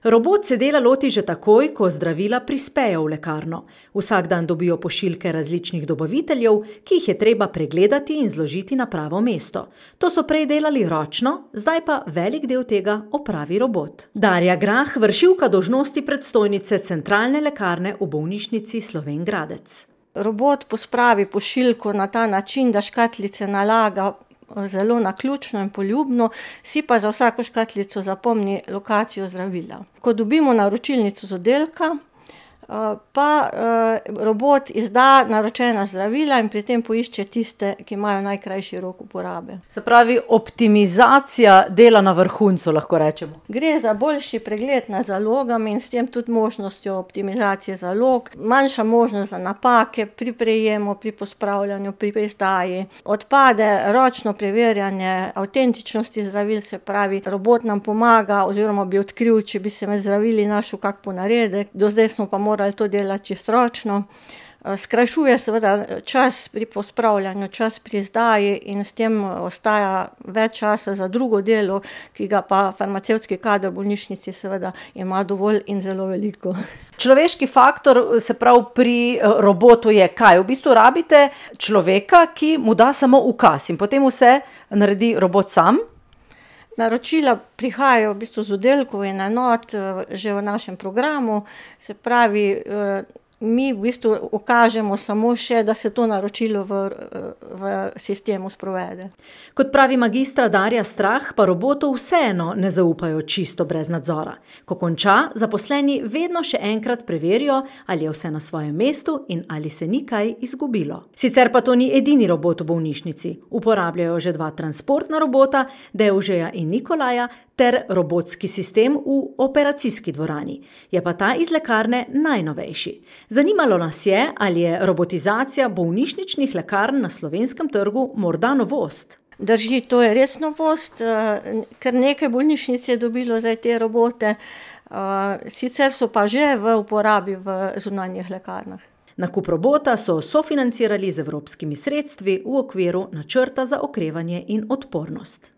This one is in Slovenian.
Robot se dela loti že takoj, ko zdravila prispejo v lekarno. Vsak dan dobijo pošiljke različnih dobaviteljev, ki jih je treba pregledati in zložiti na pravo mesto. To so prej delali ročno, zdaj pa velik del tega opravi robot. Darja Grah, vršilka dolžnosti predstojnice centralne lekarne v bolnišnici Slovenj Gradec. Robot pospravi pošiljko na ta način, da škatlice nalaga zelo naključno in poljubno, si pa za vsako škatlico zapomni lokacijo zdravila. Ko dobimo naročilnico z oddelka, pa robot izda naročena zdravila in pri tem poišče tiste, ki imajo najkrajši rok uporabe. Se pravi, optimizacija dela na vrhuncu, lahko rečemo. Gre za boljši pregled nad zalogami in s tem tudi možnostjo optimizacije zalog, manjša možnost za napake pri prejemu, pri pospravljanju, pri izdaji. Odpade ročno preverjanje avtentičnosti zdravil, se pravi, robot nam pomaga oziroma bi odkril, če bi se med zdravili našel kak ponaredek. Do zdaj smo pa morali to delati čisto ročno. Skrajšuje seveda čas pri pospravljanju, čas pri izdaji in s tem ostaja več časa za drugo delo, ki ga pa farmacevtski kader v bolnišnici seveda ima dovolj in zelo veliko. Človeški faktor, se pravi, pri robotu je kaj? V bistvu rabite človeka, ki mu da samo ukaz in potem vse naredi robot sam? Naročila prihajajo v bistvu z oddelkov in enot že v našem programu, se pravi, mi v bistvu ukažemo samo še, da se to naročilo v sistemu sprovede. Kot pravi magistra Darja Strah, pa robotu vseeno ne zaupajo čisto brez nadzora. Ko konča, zaposleni vedno še enkrat preverijo, ali je vse na svojem mestu in ali se ni kaj izgubilo. Sicer pa to ni edini robot v bolnišnici. Uporabljajo že 2 transportna robota, Devžeja in Nikolaja, ter robotski sistem v operacijski dvorani. Je pa ta iz lekarne najnovejši. Zanimalo nas je, ali je robotizacija bolnišničnih lekarn na slovenskem trgu morda novost. Drži, to je res novost, ker nekaj bolnišnic je dobilo zdaj te robote, sicer so pa že v uporabi v zunanjih lekarnah. Nakup robota so sofinancirali z evropskimi sredstvi v okviru načrta za okrevanje in odpornost.